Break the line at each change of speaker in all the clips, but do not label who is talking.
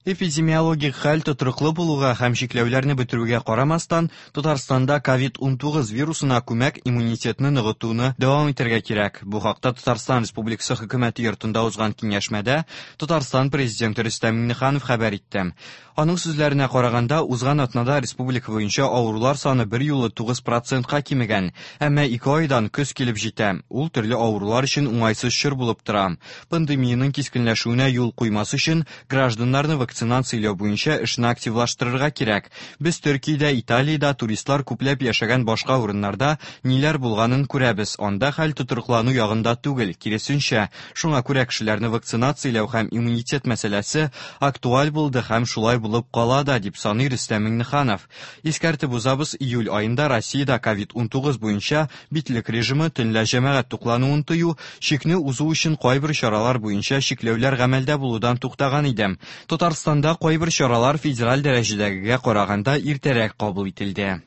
Эпидемиологик хәл тотрыклы булуга һәм чикләүләрне бетерүгә карамастан, Татарстанда COVID-19 вирусына күмәк иммунитетны ныгытуны дәвам итәргә кирәк. Бу хакта Татарстан Республикасы Хөкүмәте йортында узган киңәшмәдә Татарстан Президенты Рөстәм Миңнеханов хәбәр итте. Аның сүзләренә караганда, узган атнада республика буенча авырулар саны берьюлы 9 процентка кимегән. Әмма ике айдан көз килеп җитә. Ул төрле авырулар өчен уңайсыз чор булып тора. Пандемиянең кискенләшүенә юл куймас өчен гражданнарны вакцинацияләү буенча эшне активлаштырырга кирәк. Без Төркиядә, Италиядә туристлар күпләп яшәгән башка урыннарда ниләр булганын күрәбез. Анда хәл тотрыклану ягында түгел, киресенчә. Шуңа күрә кешеләрне вакцинацияләү һәм иммунитет мәсьәләсе актуаль булды һәм шулай булып кала да, дип саный Рөстәм Миңнеханов. Искәртеп узабыз, июль аенда Россиядә COVID-19 буенча битлек режимы, төнлә җәмәгать туклануын тыю, чикне узу өчен кайбер чаралар буенча чикләүләр гамәлдә булудан туктаган иде. Татарстанда кайбер чаралар федераль дәрәҗәдәгегә караганда иртәрәк кабул ителде.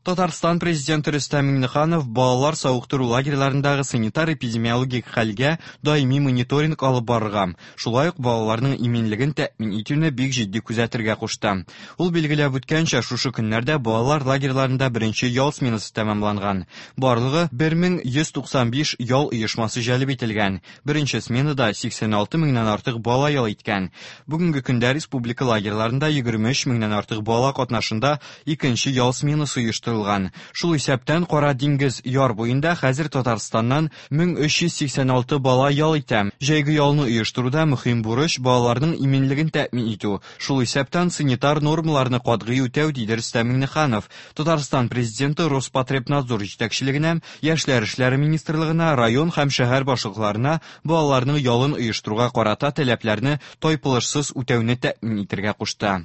Татарстан Президенты Рөстәм Миңнеханов балалар савыктыру лагерьларындагы санитар-эпидемиологик хәлгә даими мониторинг алып барырга, шулай ук балаларның иминлеген тәэмин итүне бик җитди күзәтергә кушты. Ул билгеләп үткәнчә, шушы көннәрдә балалар лагерьларында беренче ял сменасы тәмамланган. Барлыгы 1195 ял оешмасы җәлеп ителгән. Беренче сменада 86 меңнән артык бала ял иткән. Бүгенге көндә республика лагерьларында 23 меңнән артык бала катнашында икенче ял сменасы оештырылган. Шул исәптән Кара диңгез яр буенда хәзер Татарстаннан 1386 бала ял итә. Җәйге ялны оештыруда мөһим бурыч балаларның иминлеген тәэмин итү, шул исәптән санитар нормаларны катгый үтәү, диде Рөстәм Миңнеханов. Татарстан Президенты Роспотребнадзор җитәкчелегенә, Яшьләр эшләре министрлыгына, район һәм шәһәр башлыкларына балаларның ялын оештыруга карата таләпләрне тайпылышсыз үтәүне тәэмин итәргә кушты.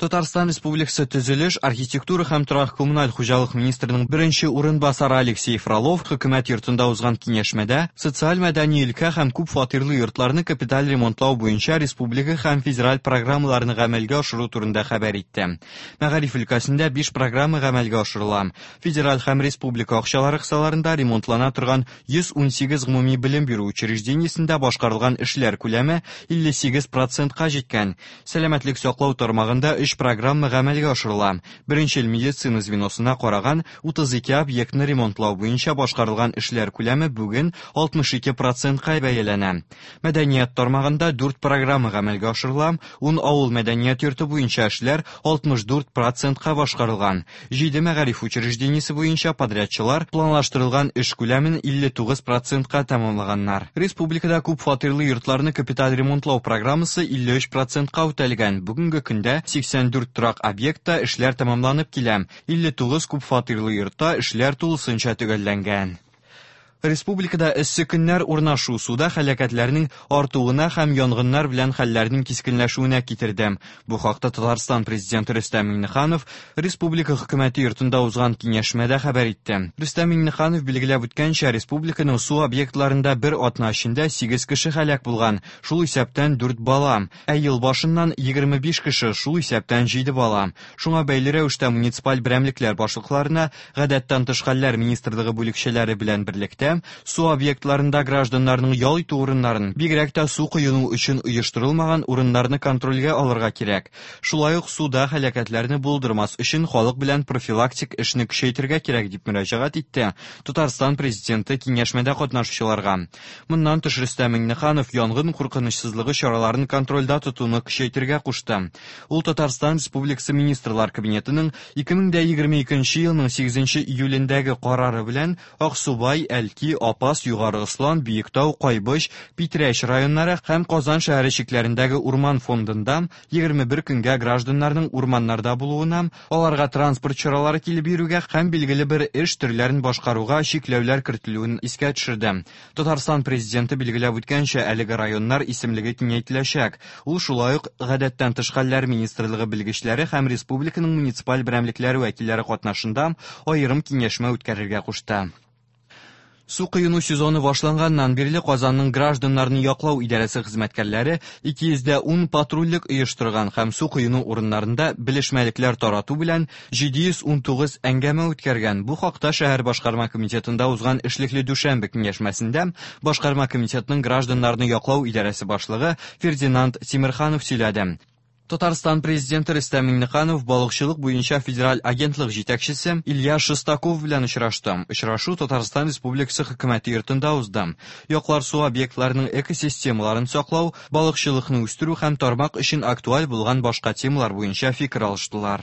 Татарстан Республикасы Төзелеш, архитектура һәм торак-коммуналь хуҗалык министрының беренче урынбасары Алексей Фролов хөкүмәт йортында узган киңәшмәдә социаль-мәдәни өлкә һәм күп фатирлы йортларны капиталь ремонтлау буенча республика һәм федераль программаларны гамәлгә ашыру турында хәбәр итте. Мәгариф өлкәсендә биш программа гамәлгә ашырыла. Федераль һәм республика акчалары кысаларында ремонтлана торган 118 гомуми белем бирү учреждениесендә башкарылган эшләр күләме 58 процентка җиткән. Сәламәтлек саклау тармагында өч программа гамәлгә ашырыла. Беренчел медицина звеносына караган 32 объектны ремонтлау буенча башкарылган эшләр күләме бүген 62 процентка бәяләнә. Мәдәният тармагында дүрт программа гамәлгә ашырыла, ун авыл мәдәният йорты буенча эшләр 64 процентка башкарылган. Җиде мәгариф учреждениесе буенча подрядчылар планлаштырылган эш күләмен 59 процентка тәмамлаганнар. Республикада күп фатирлы йортларны капиталь ремонтлау программасы 53 процентка үтәлгән. Бүгенге көндә 84 торак объектта эшләр тәмамланып килә. 59 күп фатирлы йортта эшләр тулысынча төгәлләнгән. Республикада эссе көннәр урнашу суда һәлакәтләрнең артуына һәм янгыннар белән хәлләрнең кискенләшүенә китерде. Бу хакта Татарстан Президенты Рөстәм Миңнеханов республика хөкүмәте йортында узган киңәшмәдә хәбәр итте. Рөстәм Миңнеханов билгеләп үткәнчә, республиканың су объектларында бер атна эчендә 8 кеше һәлак булган, шул исәптән 4 бала. Ә ел башыннан 25 кеше, шул исәптән 7 бала. Шуңа бәйле рәвештә муниципаль берәмлекләр башлыкларына Гадәттән тыш хәлләр министрлыгы бүлекчәләре белән берлектә су объектларында гражданнарның ял итү урыннарын, бигрәк тә су коену өчен оештырылмаган урыннарны контрольгә алырга кирәк. Шулай ук суда һәлакәтләрне булдырмас өчен халык белән профилактик эшне көчәйтергә кирәк, дип мөрәҗәгать итте Татарстан Президенты киңәшмәдә катнашучыларга. Моннан тыш Рөстәм Миңнеханов янгын куркынычсызлыгы чараларын контрольдә тотуны көчәйтергә кушты. Ул Татарстан Республикасы Министрлар Кабинетының 2022 елның 8 июлендәге карары белән Аксубай, Әлки, Апас, Югары Ослан, Биектау, Кайбыч, Питрәч районнары һәм Казан шәһәре чикләрендәге урман фондында 21 көнгә гражданнарның урманнарда булуына, аларга транспорт чаралары килеп йөрүгә һәм билгеле бер эш төрләрен башкаруга чикләүләр кертелүен искә төшерде. Татарстан Президенты билгеләп үткәнчә, әлеге районнар исемлеге киңәйтеләчәк. Ул шулай ук Гадәттән тыш хәлләр министрлыгы белгечләре һәм республиканың муниципаль берәмлекләре вәкилләре катнашында аерым киңәшмә үткәрергә кушты. Су коену сезоны башланганнан бирле Казанның гражданнарны яклау идарәсе хезмәткәрләре 210 патрульлек оештырган һәм су коену урыннарында белешмәлекләр тарату белән 719 әңгәмә үткәргән. Бу хакта шәһәр башкарма комитетында узган эшлекле дүшәмбе киңәшмәсендә башкарма комитетның гражданнарны яклау идарәсе башлыгы Фердинанд Тимерханов сөйләде. Татарстан Президенты Рөстәм Миңнеханов балыкчылык буенча федераль агентлык җитәкчесе Илья Шестаков белән очрашты. Очрашу Татарстан Республикасы Хөкүмәте йортында узды. Яклар су объектларының экосистемаларын саклау, балыкчылыкны үстерү һәм тармак өчен актуаль булган башка темалар буенча фикер алыштылар.